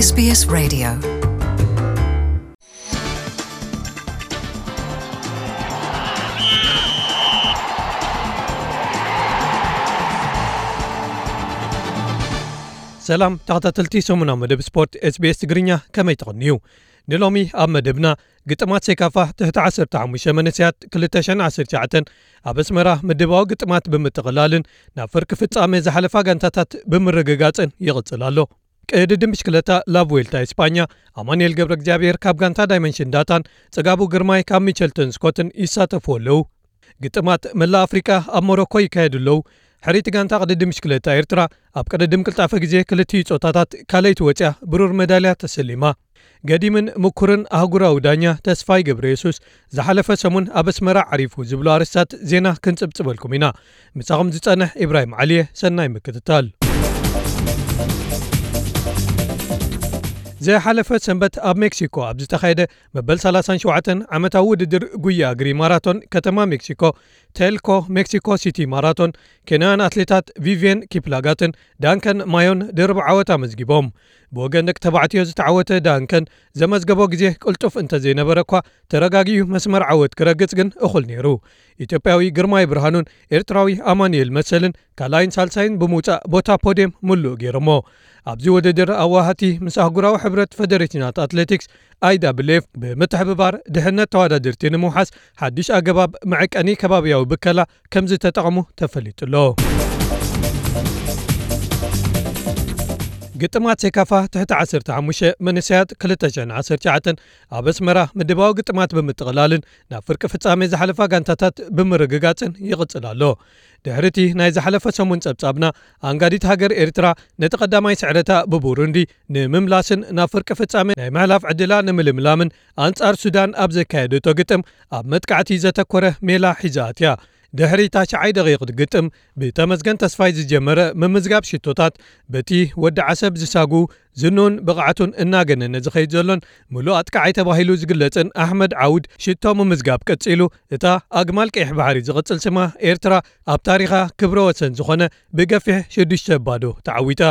SBS Radio. ሰላም ተኸታተልቲ ሰሙናዊ መደብ ስፖርት SBS ትግርኛ፣ ከመይ ትቕንዩ? ንሎሚ ኣብ መደብና፣ ግጥማት ሴካፋ ትሕቲ ዓሰርተ ሓሙሽተ መንእሰያት ክልተ ሽሕን ዓሰርተ ትሽዓተን ኣብ ኣስመራ ምድባዊ ግጥማት ብምጥቕላልን ናብ ፍርቂ ፍጻመ ዝሓለፋ ጋንታታት ብምርግጋጽን ይቕጽል ኣሎ። ቅድድም ብሽክለታ ላቭ ዌልታ እስፓኛ፣ ኣማኑኤል ገብረ እግዚኣብሔር ካብ ጋንታ ዳይመንሽን ዳታን ጽጋቡ ግርማይ ካብ ሚቸልተን ስኮትን ይሳተፉ ኣለዉ። ግጥማት መላእ ኣፍሪቃ ኣብ ሞሮኮ ይካየዱ ኣለዉ። ሕርይቲ ጋንታ ቅድድም ብሽክለታ ኤርትራ ኣብ ቅድድም ቅልጣፈ ግዜ ክልቲኡ ጾታታት ካልኣይቲ ወጽያ ብሩር መዳልያ ተሰሊማ። ገዲምን ምኩርን ኣህጉራዊ ዳኛ ተስፋይ ገብረ የሱስ፣ ዝሓለፈ ሰሙን ኣብ ኣስመራ ዓሪፉ ዝብሉ ኣርእስታት ዜና ክንጽብጽበልኩም ኢና። ምሳኹም ዝጸንሕ ኢብራሂም ዓሊየ፣ ሰናይ ምክትታል። ዝሓለፈ ሰንበት ኣብ ሜክሲኮ ኣብ ዝተኻየደ መበል ሰላሳን ሸውዓተን ዓመታዊ ውድድር ጉያ እግሪ ማራቶን ከተማ ሜክሲኮ፣ ቴልኮ ሜክሲኮ ሲቲ ማራቶን፣ ኬንያውያን ኣትሌታት ቪቪየን ኪፕላጋትን ዳንከን ማዮን ድርብ ዓወት ኣመዝጊቦም። ብወገን ደቂ ተባዕትዮ ዝተዓወተ ዳንከን ዘመዝገቦ ግዜ ቅልጡፍ እንተዘይነበረ እኳ፣ ተረጋጊኡ መስመር ዓወት ክረግጽ ግን እኹል ነይሩ። ኢትዮጵያዊ ግርማይ ብርሃኑን ኤርትራዊ ኣማኑኤል መሰልን ካልኣይን ሳልሳይን ብምውጻእ ቦታ ፖድየም ምሉእ ገይሮሞ። ኣብዚ ውድድር ኣዋሃቲ ምስ ኣህጉራዊ ሕብረት ፈደሬሽናት ኣትሌቲክስ፣ ኣይዳብልኤፍ፣ ብምትሕብባር ድሕነት ተወዳደርቲ ንምውሓስ ሓድሽ ኣገባብ መዐቀኒ ከባብያዊ ብከላ ከም ዝተጠቐሙ ተፈሊጡ ኣሎ። ግጥማት ሴካፋ ትሕቲ ዓሰርተ ሓሙሽተ መንእሰያት ክልተ ሽሕን ዓሰርተ ትሽዓተን ኣብ ኣስመራ ምድባዊ ግጥማት ብምጥቕላልን ናብ ፍርቂ ፍጻሜ ዝሓለፋ ጋንታታት ብምርግጋጽን ይቕጽል ኣሎ። ድሕሪ እቲ ናይ ዝሓለፈ ሰሙን ጸብጻብና፣ ኣንጋዲት ሃገር ኤርትራ ነቲ ቀዳማይ ስዕረታ ብቡሩንዲ ንምምላስን ናብ ፍርቂ ፍጻሜ ናይ ምሕላፍ ዕድላ ንምልምላምን ኣንጻር ሱዳን ኣብ ዘካየደቶ ግጥም ኣብ መጥቃዕቲ ዘተኮረ ሜላ ሒዛ ኣትያ። ድሕሪ ታሽዓይ ደቂቕ ግጥም ብተመስገን ተስፋይ ዝጀመረ ምምዝጋብ ሽቶታት፣ በቲ ወዲ ዓሰብ ዝሳጉ ዝኑን ብቕዓቱን እናገነነ ዝኸይድ ዘሎን ምሉእ ኣጥቃዓይ ተባሂሉ ዝግለጽን ኣሕመድ ዓውድ ሽቶ ምምዝጋብ ቀጺሉ፣ እታ ኣግማል ቀይሕ ባሕሪ ዝቕጽል ስማ ኤርትራ ኣብ ታሪኻ ክብረ ወሰን ዝኾነ ብገፊሕ ሽዱሽተ ባዶ ተዓዊታ።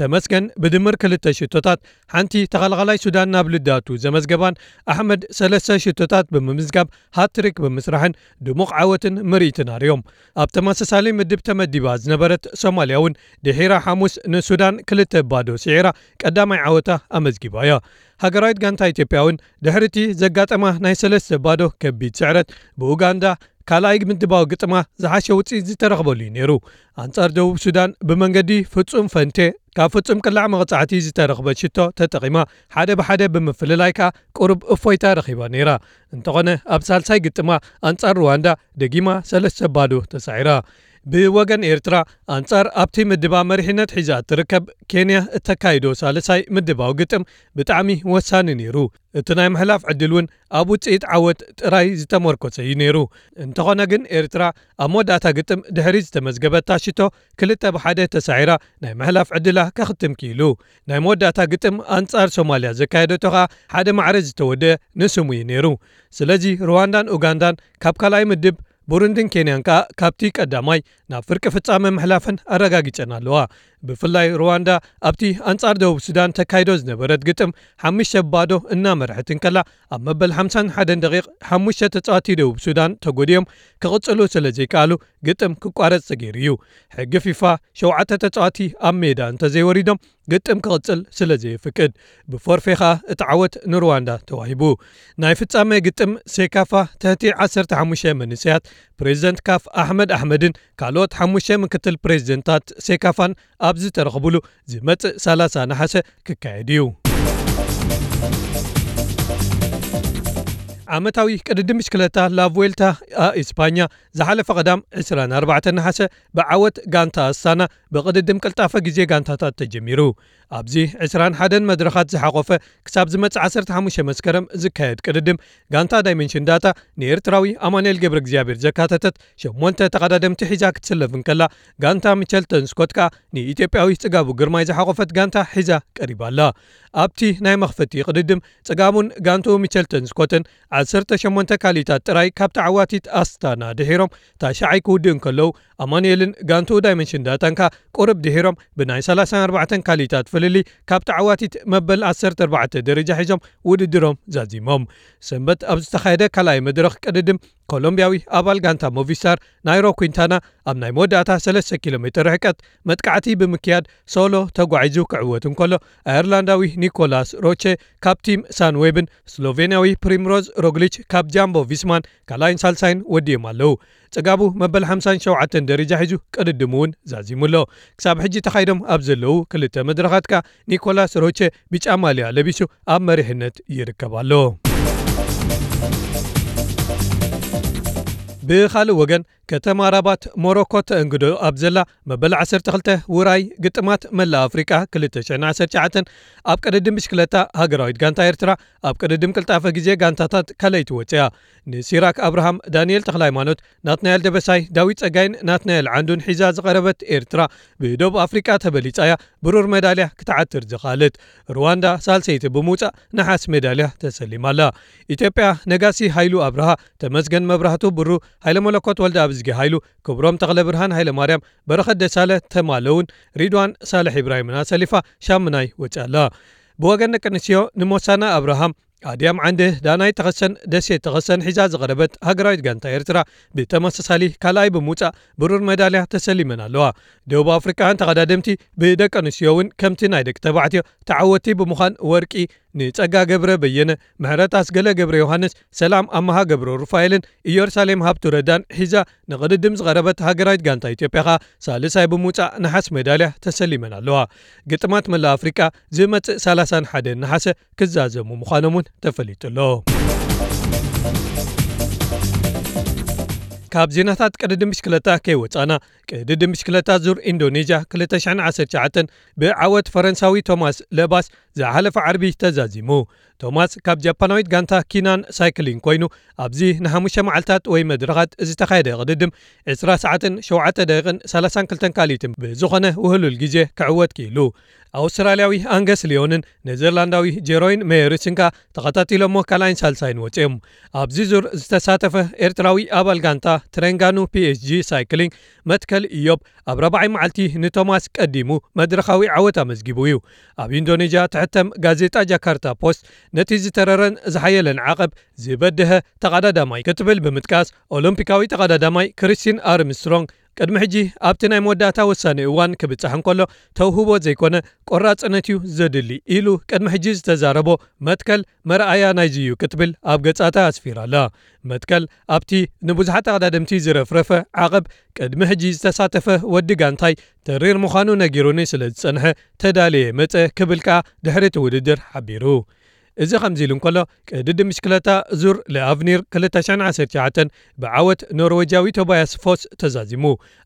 ተመስገን ብድምር ክልተ ሽቶታት ሓንቲ ተኸላኻላይ ሱዳን ናብ ልዳቱ ዘመዝገባን ኣሕመድ ሰለስተ ሽቶታት ብምምዝጋብ ሃትሪክ ብምስራሕን ድሙቕ ዓወትን ምርኢትን ኣርዮም። ኣብ ተመሳሳሊ ምድብ ተመዲባ ዝነበረት ሶማልያ እውን ድሒራ ሓሙስ ንሱዳን ክልተ ባዶ ስዒራ ቀዳማይ ዓወታ ኣመዝጊባ እያ። ሃገራዊት ጋንታ ኢትዮጵያ እውን ድሕሪ እቲ ዘጋጠማ ናይ ሰለስተ ባዶ ከቢድ ስዕረት ብኡጋንዳ ካልኣይ ምድባዊ ግጥማ ዝሓሸ ውፅኢት ዝተረኽበሉ እዩ ነይሩ። ኣንጻር ደቡብ ሱዳን ብመንገዲ ፍጹም ፈንቴ ካብ ፍጹም ቅላዕ መቕጻዕቲ ዝተረኽበ ሽቶ ተጠቒማ ሓደ ብሓደ ብምፍልላይ ከኣ ቁሩብ እፎይታ ረኺባ ነይራ። እንተኾነ ኣብ ሳልሳይ ግጥማ ኣንጻር ሩዋንዳ ደጊማ ሰለስተ ባዶ ተሳዒራ። ብወገን ኤርትራ ኣንጻር ኣብቲ ምድባ መሪሕነት ሒዛ እትርከብ ኬንያ እተካይዶ ሳልሳይ ምድባዊ ግጥም ብጣዕሚ ወሳኒ ነይሩ። እቲ ናይ ምሕላፍ ዕድል እውን ኣብ ውጽኢት ዓወት ጥራይ ዝተመርኮሰ እዩ ነይሩ። እንተኾነ ግን ኤርትራ ኣብ መወዳእታ ግጥም ድሕሪ ዝተመዝገበታ ሽቶ ክልተ ብሓደ ተሳዒራ ናይ ምሕላፍ ዕድላ ከኽትም ክኢሉ። ናይ መወዳእታ ግጥም ኣንጻር ሶማልያ ዘካየደቶ ከኣ ሓደ ማዕረ ዝተወደአ ንስሙ እዩ ነይሩ። ስለዚ ሩዋንዳን ኡጋንዳን ካብ ካልኣይ ምድብ፣ ቡሩንድን ኬንያን ከኣ ካብቲ ቀዳማይ ናብ ፍርቂ ፍጻመ ምሕላፈን ኣረጋጊጸን ኣለዋ። ብፍላይ ሩዋንዳ ኣብቲ ኣንጻር ደቡብ ሱዳን ተካይዶ ዝነበረት ግጥም ሓሙሽተ ባዶ እናመርሐት እንከላ፣ ኣብ መበል ሓምሳን ሓደን ደቂቕ ሓሙሽተ ተጻዋቲ ደቡብ ሱዳን ተጎዲኦም ክቕጽሉ ስለ ዘይከኣሉ ግጥም ክቋረጽ ተገይሩ እዩ። ሕጊ ፊፋ ሸውዓተ ተጻዋቲ ኣብ ሜዳ እንተዘይወሪዶም ግጥም ክቕጽል ስለ ዘየፍቅድ፣ ብፎርፌ ኸኣ እቲ ዓወት ንሩዋንዳ ተዋሂቡ። ናይ ፍጻመ ግጥም ሴካፋ ትሕቲ ዓሰርተ ሓሙሽተ መንእሰያት ፕሬዚደንት ካፍ ኣሕመድ ኣሕመድን ካልኦት ሓሙሽተ ምክትል ፕሬዚደንታት ሴካፋን ኣብ ዝተረኽቡሉ ዝመጽእ ሰላሳ ነሓሰ ክካየድ እዩ። ዓመታዊ ቅድድም ብሽክለታ ላቭዌልታ ኣ ኢስፓኛ ዝሓለፈ ቀዳም ዕስራን ኣርባዕተን ነሓሰ ብዓወት ጋንታ ኣስታና ብቅድድም ቅልጣፈ ግዜ ጋንታታት ተጀሚሩ። ኣብዚ ዕስራን ሓደን መድረኻት ዝሓቖፈ ክሳብ ዝመጽእ ዓሰርተ ሓሙሽተ መስከረም ዝካየድ ቅድድም፣ ጋንታ ዳይመንሽን ዳታ ንኤርትራዊ ኣማኑኤል ገብረ እግዚኣብሔር ዘካተተት ሸሞንተ ተቐዳደምቲ ሒዛ ክትስለፍ እንከላ፣ ጋንታ ሚቸልተን ስኮት ከኣ ንኢትዮጵያዊ ጽጋቡ ግርማይ ዝሓቖፈት ጋንታ ሒዛ ቀሪባ ኣላ። ኣብቲ ናይ መኽፈቲ ቅድድም፣ ጽጋቡን ጋንትኡ ሚቸልተን ስኮትን ዓሰርተ ሸሞንተ ካልኢታት ጥራይ ካብ ተዓዋቲት ኣስታና ድሒሮም ታሽዓይ ክውድኡ እንከለዉ፣ ኣማኑኤልን ጋንትኡ ዳይመንሽን ዳታን ከኣ ቁሩብ ድሒሮም ብናይ ሰላሳን ኣርባዕተን ካልኢታት ፍልልይ ካብ ተዓዋቲት መበል ዓሰርተ ኣርባዕተ ደረጃ ሒዞም ውድድሮም ዛዚሞም። ሰንበት ኣብ ዝተኻየደ ካልኣይ መድረኽ ቅድድም ኮሎምብያዊ ኣባል ጋንታ ሞቪስታር ናይሮ ኩንታና ኣብ ናይ መወዳእታ ሰለስተ ኪሎ ሜትር ርሕቀት መጥቃዕቲ ብምክያድ ሶሎ ተጓዒዙ ክዕወት እንከሎ፣ ኣየርላንዳዊ ኒኮላስ ሮቼ ካብ ቲም ሳንዌብን ስሎቬንያዊ ፕሪምሮዝ ሮግሊች ካብ ጃምቦ ቪስማን ካልኣይን ሳልሳይን ወዲኦም ኣለዉ። ጽጋቡ መበል ሓምሳን ሸውዓተን ደረጃ ሒዙ ቅድድሙ እውን ዛዚሙ ኣሎ። ክሳብ ሕጂ ተኻይዶም ኣብ ዘለዉ ክልተ መድረኻት ከኣ ኒኮላስ ሮቼ ብጫ ማልያ ለቢሱ ኣብ መሪሕነት ይርከብ ኣሎ። ብኻልእ ወገን፣ ከተማ ራባት ሞሮኮ ተእንግዶ ኣብ ዘላ መበል ዓሰርተ ክልተ ውራይ ግጥማት መላእ ኣፍሪቃ ክልተ ሽሕን ዓሰርተ ትሽዓተን ኣብ ቅድድም ብሽክለታ ሃገራዊት ጋንታ ኤርትራ ኣብ ቅድድም ቅልጣፈ ግዜ ጋንታታት ካልኣይቲ ወጽያ። ንሲራክ ኣብርሃም፣ ዳንኤል ተኽለሃይማኖት፣ ናትናኤል ደበሳይ፣ ዳዊት ጸጋይን ናትናኤል ዓንዱን ሒዛ ዝቐረበት ኤርትራ ብደቡብ ኣፍሪቃ ተበሊጻ እያ ብሩር ሜዳልያ ክትዓትር ዝኸኣለት። ሩዋንዳ ሳልሰይቲ ብምውጻእ ነሓስ ሜዳልያ ተሰሊማ ኣላ። ኢትዮጵያ ነጋሲ ሃይሉ ኣብርሃ፣ ተመስገን መብራህቱ ብሩ፣ ሃይለ መለኮት ወልደ ኣብዝጊ ሃይሉ፣ ክብሮም ተኽለ ብርሃን ሃይለ ማርያም፣ በረኸት ደሳለ ተማለውን ሪድዋን ሳልሕ ኢብራሂምን ኣሰሊፋ ሻምናይ ወጺኣ ኣላ። ብወገን ደቂ ኣንስትዮ ንሞሳና ኣብርሃም፣ ኣድያም ዓንደ፣ ዳናይ ተኸሰን ደሴት ተኸሰን ሒዛ ዝቐረበት ሃገራዊት ጋንታ ኤርትራ ብተመሳሳሊ ካልኣይ ብምውጻእ ብሩር ሜዳልያ ተሰሊመን ኣለዋ። ደቡብ ኣፍሪቃውያን ተቐዳደምቲ ብደቂ ኣንስትዮ እውን ከምቲ ናይ ደቂ ተባዕትዮ ተዓወቲ ብምዃን ወርቂ ንጸጋ ገብረ በየነ፣ ምሕረት ኣስገለ ገብረ ዮሃንስ፣ ሰላም ኣመሃ ገብረ ሩፋኤልን ኢየሩሳሌም ሃብቱ ረዳን ሒዛ ንቕድድም ዝቐረበት ሃገራዊት ጋንታ ኢትዮጵያ ኸኣ ሳልሳይ ብምውጻእ ነሓስ ሜዳልያ ተሰሊመን ኣለዋ። ግጥማት መላእ ኣፍሪቃ ዝመጽእ ሰላሳን ሓደን ነሓሰ ክዛዘሙ ምዃኖም እውን ተፈሊጡ ኣሎ። ካብ ዜናታት ቅድድም ብሽክለታ ከይወጻና፣ ቅድድም ብሽክለታ ዙር ኢንዶኔዥያ ክልተ ሽሕን ዓሰርተ ትሽዓተን ብዓወት ፈረንሳዊ ቶማስ ለባስ ዝሓለፈ ዓርቢ ተዛዚሙ። ቶማስ ካብ ጃፓናዊት ጋንታ ኪናን ሳይክሊን ኮይኑ፣ ኣብዚ ንሓሙሽተ መዓልታት ወይ መድረኻት ዝተኻየደ ቅድድም ዕስራ ሰዓትን ሸውዓተ ደቂቕን ሰላሳን ክልተን ካልኢትን ብዝኾነ ውህሉል ግዜ ክዕወት ክኢሉ። ኣውስትራልያዊ ኣንገስ ሊዮንን ኔዘርላንዳዊ ጀሮይን ሜየርስን ከኣ ተኸታቲሎሞ ካልኣይን ሳልሳይን ወጺኦም። ኣብዚ ዙር ዝተሳተፈ ኤርትራዊ ኣባል ጋንታ ትሬንጋኑ ፒኤስጂ ሳይክሊንግ መትከል ኢዮብ ኣብ ራብዓይ መዓልቲ ንቶማስ ቀዲሙ መድረኻዊ ዓወት ኣመዝጊቡ እዩ። ኣብ ኢንዶኔዥያ ትሕተም ጋዜጣ ጃካርታ ፖስት፣ ነቲ ዝተረረን ዝሓየለን ዓቐብ ዝበደሀ ተቐዳዳማይ ክትብል ብምጥቃስ፣ ኦሎምፒካዊ ተቐዳዳማይ ክሪስቲን ኣርምስትሮንግ ቅድሚ ሕጂ ኣብቲ ናይ መወዳእታ ወሳኒ እዋን ክብጻሕ እንከሎ ተውህቦ ዘይኮነ ቆራጽነት እዩ ዘድሊ ኢሉ ቅድሚ ሕጂ ዝተዛረቦ መትከል መርኣያ ናይዚ እዩ ክትብል ኣብ ገጻታ ኣስፊራ ኣላ። መትከል ኣብቲ ንብዙሓት ኣቐዳደምቲ ዝረፍረፈ ዓቐብ ቅድሚ ሕጂ ዝተሳተፈ ወዲ ጋንታይ ተሪር ምዃኑ ነጊሩኒ ስለ ዝጸንሐ ተዳልየ መጸ ክብል ከኣ ድሕሪ እቲ ውድድር ሓቢሩ። እዚ ከምዚ ኢሉ እንከሎ፣ ቅድድም ብሽክለታ ዙር ለኣቭኒር ክልተ ሽሕን ዓሰርተ ትሽዓተን ብዓወት ኖርዌጃዊ ቶባያስ ፎስ ተዛዚሙ።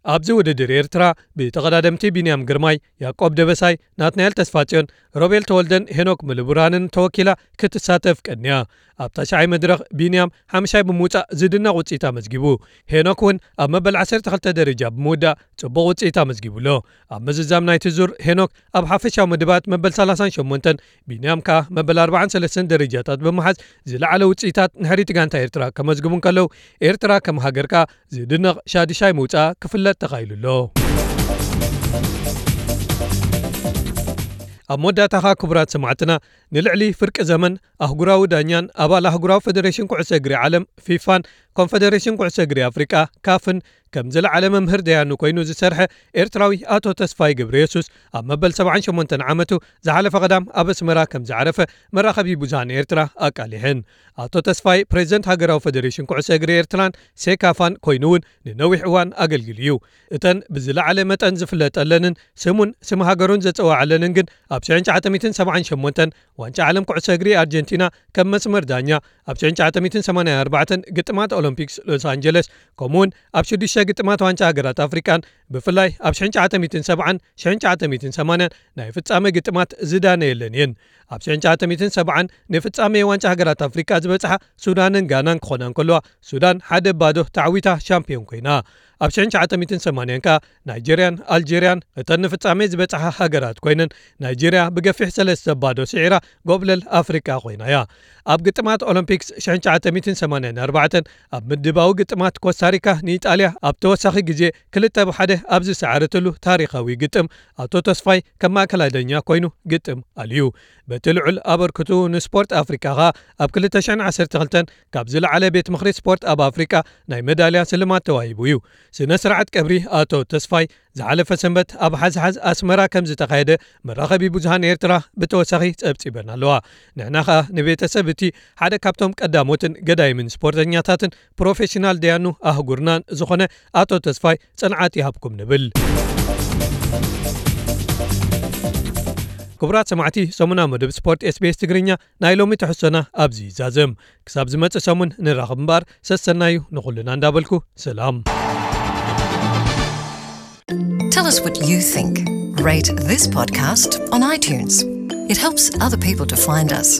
ኣብዚ ውድድር ኤርትራ ብተቐዳደምቲ ቢንያም ግርማይ፣ ያዕቆብ ደበሳይ፣ ናትናኤል ተስፋጽዮን፣ ሮቤል ተወልደን ሄኖክ ምልብራንን ተወኪላ ክትሳተፍ ቀንያ። ኣብ ታሽዓይ መድረኽ ቢንያም ሓምሻይ ብምውጻእ ዝድነቕ ውጽኢት ኣመዝጊቡ። ሄኖክ እውን ኣብ መበል ዓሰርተ ክልተ ደረጃ ብምውዳእ ጽቡቕ ውጽኢት ኣመዝጊቡ ኣሎ። ኣብ ምዝዛም ናይቲ ዙር ሄኖክ ኣብ ሓፈሻዊ መደባት መበል ሰላሳን ሸሞንተን፣ ቢንያም ከኣ መበል ኣርባዓን ሰለስተን ደረጃታት ብምሓዝ ዝለዓለ ውጽኢታት ንሕሪት ጋንታ ኤርትራ ከመዝግቡ እንከለዉ፣ ኤርትራ ከም ሃገር ከኣ ዝድነቕ ሻድሻይ ምውጻኣ ክፍለጥ ተኻኢሉ ኣሎ። ኣብ መወዳእታ ኸኣ ክቡራት ሰማዕትና፣ ንልዕሊ ፍርቂ ዘመን ኣህጉራዊ ዳኛን ኣባል ኣህጉራዊ ፈደሬሽን ኩዕሶ እግሪ ዓለም ፊፋን ኮንፈደሬሽን ኩዕሶ እግሪ ኣፍሪቃ ካፍን ከም ዝለዓለ መምህር ደያኑ ኮይኑ ዝሰርሐ ኤርትራዊ ኣቶ ተስፋይ ገብረየሱስ ኣብ መበል ሰብዓን ሸሞንተን ዓመቱ ዝሓለፈ ቀዳም ኣብ ኣስመራ ከም ዝዓረፈ መራኸቢ ብዙሃን ኤርትራ ኣቃሊሐን። ኣቶ ተስፋይ ፕሬዝደንት ሃገራዊ ፈደሬሽን ኩዕሶ እግሪ ኤርትራን ሴካፋን ኮይኑ እውን ንነዊሕ እዋን ኣገልጊሉ እዩ። እተን ብዝለዓለ መጠን ዝፍለጠለንን ስሙን ስም ሃገሩን ዘጸዋዓለንን ግን ኣብ ሽሕን ትሽዓተ ሚእትን ሰብዓን ሸሞንተን ዋንጫ ዓለም ኩዕሶ እግሪ ኣርጀንቲና ከም መስመር ዳኛ፣ ኣብ ሽሕን ትሽዓተ ሚእትን ሰማንያን ኣርባዕተን ግጥማት ኦሎምፒክስ ሎስ ኣንጀለስ፣ ከምኡውን ኣብ ሽዱሽተ ግጥማት ዋንጫ ሃገራት ኣፍሪቃን ብፍላይ ኣብ ሽሕን ትሽዓተ ሚእትን ሰብዓን ሽሕን ትሽዓተ ሚእትን ሰማንያን ናይ ፍጻመ ግጥማት ዝዳነየለን እየን። ኣብ ሽሕን ትሽዓተ ሚእትን ሰብዓን ንፍጻመ ዋንጫ ሃገራት ኣፍሪቃ ዝበጽሓ ሱዳንን ጋናን ክኾና እንከለዋ፣ ሱዳን ሓደ ባዶ ተዓዊታ ሻምፒዮን ኮይና። ኣብ ሽሕን ትሽዓተ ሚእትን ሰማንያን ከኣ ናይጀርያን ኣልጀርያን እተን ንፍጻሜ ዝበጽሓ ሃገራት ኮይነን፣ ናይጀርያ ብገፊሕ ሰለስተ ባዶ ስዒራ ጎብለል ኣፍሪቃ ኮይና እያ። ኣብ ግጥማት ኦሎምፒክስ ሽሕን ትሽዓተ ሚእትን ሰማንያን ኣርባዕተን ኣብ ምድባዊ ግጥማት ኮስታሪካ ንኢጣልያ ኣብ ተወሳኺ ግዜ ክልተ ብ ሓደ ኣብ ዝሰዓረትሉ ታሪኻዊ ግጥም፣ ኣቶ ተስፋይ ከም ማእከላይ ዳኛ ኮይኑ ግጥም ኣልዩ። በቲ ልዑል ኣበርክቱ ንስፖርት ኣፍሪቃ ኸኣ ኣብ ክልተ ሽሕን ዓሰርተ ክልተን ካብ ዝለዓለ ቤት ምኽሪ ስፖርት ኣብ ኣፍሪቃ ናይ መዳልያ ስልማት ተዋሂቡ እዩ። ስነ ስርዓት ቀብሪ ኣቶ ተስፋይ ዝሓለፈ ሰንበት ኣብ ሓዝሓዝ ኣስመራ ከም ዝተኻየደ መራኸቢ ብዙሃን ኤርትራ ብተወሳኺ ጸብጺበን ኣለዋ። ንሕና ኸኣ ንቤተሰብ እቲ ሓደ ካብቶም ቀዳሞትን ገዳይምን ስፖርተኛታትን ፕሮፌሽናል ደያኑ ኣህጉርናን ዝኾነ ኣቶ ተስፋይ ጽንዓት ይሃብኩም ንብል። ክቡራት ሰማዕቲ፣ ሰሙናዊ መደብ ስፖርት ኤስቢኤስ ትግርኛ ናይ ሎሚ ትሕዝቶና ኣብዚ ይዛዘም። ክሳብ ዝመጽእ ሰሙን ንራኸብ እምበኣር፣ ሰሰናዩ ንኹልና እንዳበልኩ፣ ሰላም። Tell us what you think. Rate this podcast on iTunes. It helps other people to find us.